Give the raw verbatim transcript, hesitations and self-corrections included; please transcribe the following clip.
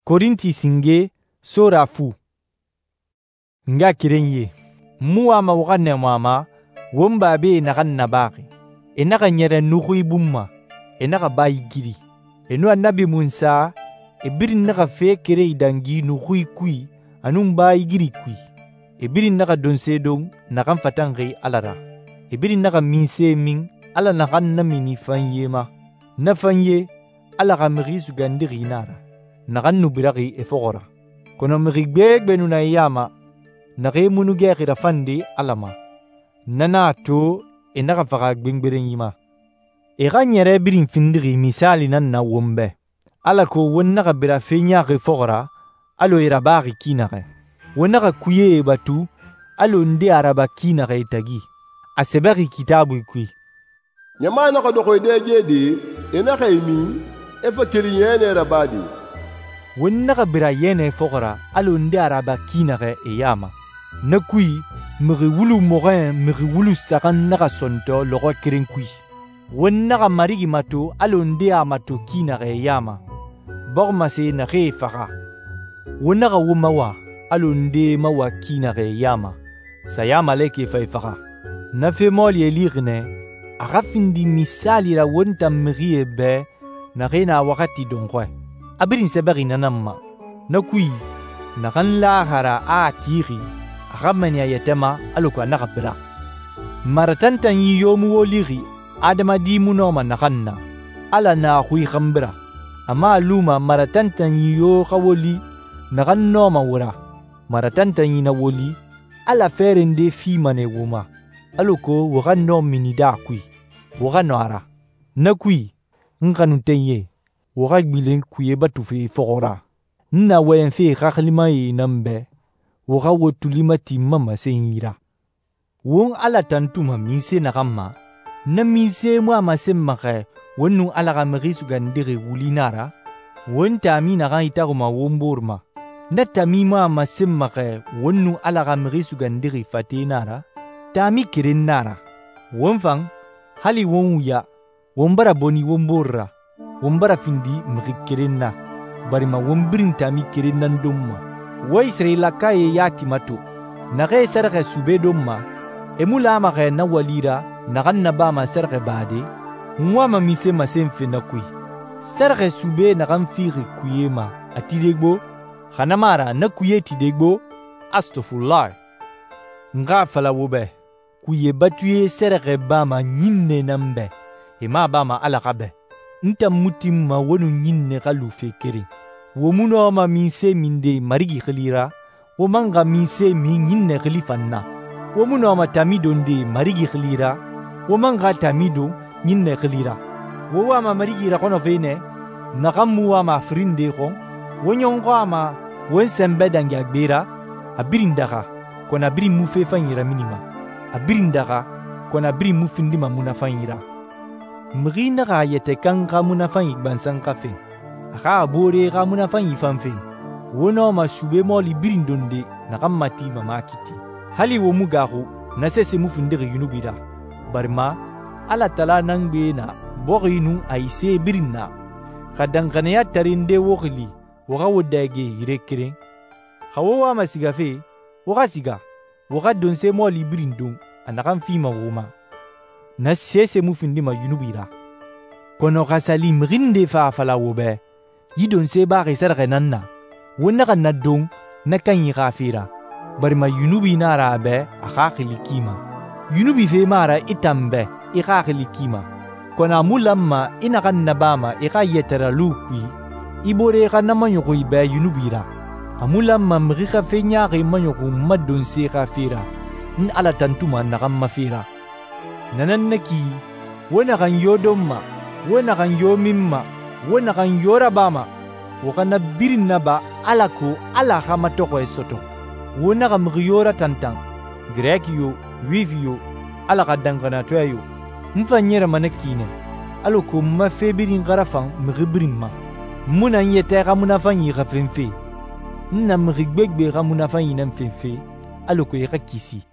Korinti singe sora fu. N ngaxakerenyie, n mu wama wo xa nɛɛmu a ma won babae naxan nabaxi. E naxa ɲɛrɛ nuxui bun ma, e naxa bayigiri. E nun Annabi Munsa, e birin naxa fe keren idangi nuxui kui a nun bayigiri kui. E birin naxa donse don naxan fatanxi Ala ra. E birin naxa minse min Ala naxan namini fanye ma. Na fanye, Ala xa Mixi Sugandixi nan a ra, naxan nu biraxi e fɔxɔ ra. Kɔnɔ mixi gbegbe nu na e ya ma, naxee mu nu gɛxi rafande Ala ma. Na nan a to e naxa faxa gbengberenyi ma. E xa ɲɛrɛ birin findixi misaali nan na won bɛ, alako won naxa bira fe ɲaaxi fɔxɔ ra alɔ e rabaxi ki naxɛ. Won naxa kuyee batu alɔ nde a raba ki naxɛ e tagi. A sɛbɛxi Kitaabui kui: ɲama naxa dɔxɔ e dɛge de, e naxa e min, e fa keli yɛnɛ rabade. Won naxa bira yɛnɛ fɔxɔ ra alɔ nde a raba ki naxɛ e ya ma. Na kui, mixi wulu mɔxɔɲɛn mixi wulu saxan naxa sɔntɔ lɔxɔ keren kui. Won naxa Marigi mato alɔ nde a mato ki naxɛ e ya ma, bɔximase naxee faxa. Won naxa wo mawa alɔ nde mawa ki naxɛ e ya ma, sayamalekɛ fa e faxa. Na fe mɔɔlie lixi nɛ, a xa findi misaali ra won tan mixie bɛ naxee na waxati dɔnxɔɛ. A birin sɛbɛxi na nan ma. Na kui, naxan laxara a a tixi, a xa mɛnni a yɛtɛ ma alako a naxa bira. Maratantanyi yo mu wo lixi adamadi mu nɔma naxan na, Ala na xui xanbira. A mu a luma maratantanyi yo xa woli naxan nɔma wo ra. Maratantanyi na woli, Ala fɛɛrɛ nde fima nɛ wo ma, alako wo xa nɔ minide a kui, wo xa nɔ a ra. Na kui, n xanuntenyie, wo xa gbilen kuye batufe fɔxɔ ra. N na wɔyɛnfe xaxilimae nan bɛ, wo xa wo tuli mati n ma masenyi ra. Won Ala tantuma minse naxan ma, na minse mu a masenma xɛ won nun Ala xa Mixi Sugandixi wuli na ra, won taami naxan itaxuma won bore ma. Na taami mu a masenma xɛ won nun Ala xa Mixi Sugandixi fate na ra, taami keren na ra. Won fan, hali won wuya, won bara bɔni won bore ra, won bara findi mixi keren na, barima won birin taami keren nan don ma. Wo Israelakae yati mato, naxee sɛrɛxɛ sube don ma, e mu lama xɛ na wali ra naxan nabama sɛrɛxɛ bade, n wama mise masenfe na kui. Sɛrɛxɛ sube naxan fixi kuye ma a tide gbo, xa na mu a ra na kuye tide gbo, astofulahi. N xa a fala wo bɛ, kuye batuye sɛrɛxɛ bama ɲinne nan bɛ, e mu a bama Ala xa bɛ. N tan mu tinma wo nun ɲinne xa lu fe keren. Wo mu nɔma minse minde Marigi xili ra, wo man xa minse min ɲinne xili fan na. Wo mu nɔma taami donde Marigi xili ra, wo man xa taami don ɲinne xili ra. Wo wama Marigi raxɔnɔfe nɛ, naxan mu wama a firinde xɔn, wo ɲɔnxɔ a ma won sɛnbɛ dangi a gbe ra, a birin daxa, kɔnɔ a birin mu fe fanyi raminima. A birin daxa, kɔnɔ a birin mu findima munafanyi ra. Mixi naxa a yɛtɛ kan xa munafanyi gbansan xa fen, a xa a boore xa munafanyi fan fen, wo nɔma sube mɔɔli birin donde naxan matima ma kiti. Hali wo mu gaaxu, na sese mu findixi yunubi ra, barima Ala tala nan gbe na bɔxi nun a yi se birin na. Xa danxaniya tarinde wo xili, wo xa wo dɛge yire keren. Xa wo wama sigafe, wo xa siga, wo xa donse mɔɔli birin don a naxan fima wo ma. Na sese mu findima yunubi ra. Kɔnɔ xa sali mixi nde fa a fala wo bɛ, yi donse baxi sɛrɛxɛ nan na, wo naxa na don na kanyi xa fe ra, barima yunubi na ra a bɛ a xaxili ki ma. Yunubi fe ma ra i tan bɛ i xaxili ki ma, kɔnɔ a mu lanma i naxan nabama i xa yɛtɛralu kui, i bore xa na maɲɔxun i bɛ yunubi ra. A mu lanma mixi xa fe ɲaaxi maɲɔxun ma donse xa fe ra, n Ala tantuma naxan ma fe ra. Nanan na ki, wo naxan yo don ma, wo naxan yo min ma, wo naxan yo rabama, wo xa na birin naba alako Ala xa matɔxɔɛ sɔtɔ. Wo naxa mixi yo ratantan, Greki yo, Yuwifi yo, Ala xa danxaniyatɔɛ yo. N fan ɲɛrɛma na ki nɛ, alako n ma fe birin xa rafan mixi birin ma. N mu na n yɛtɛ xa munafanyi xa fenfe, n na mixi gbegbe xa munafanyi nan fenfe, alako i xa kisi.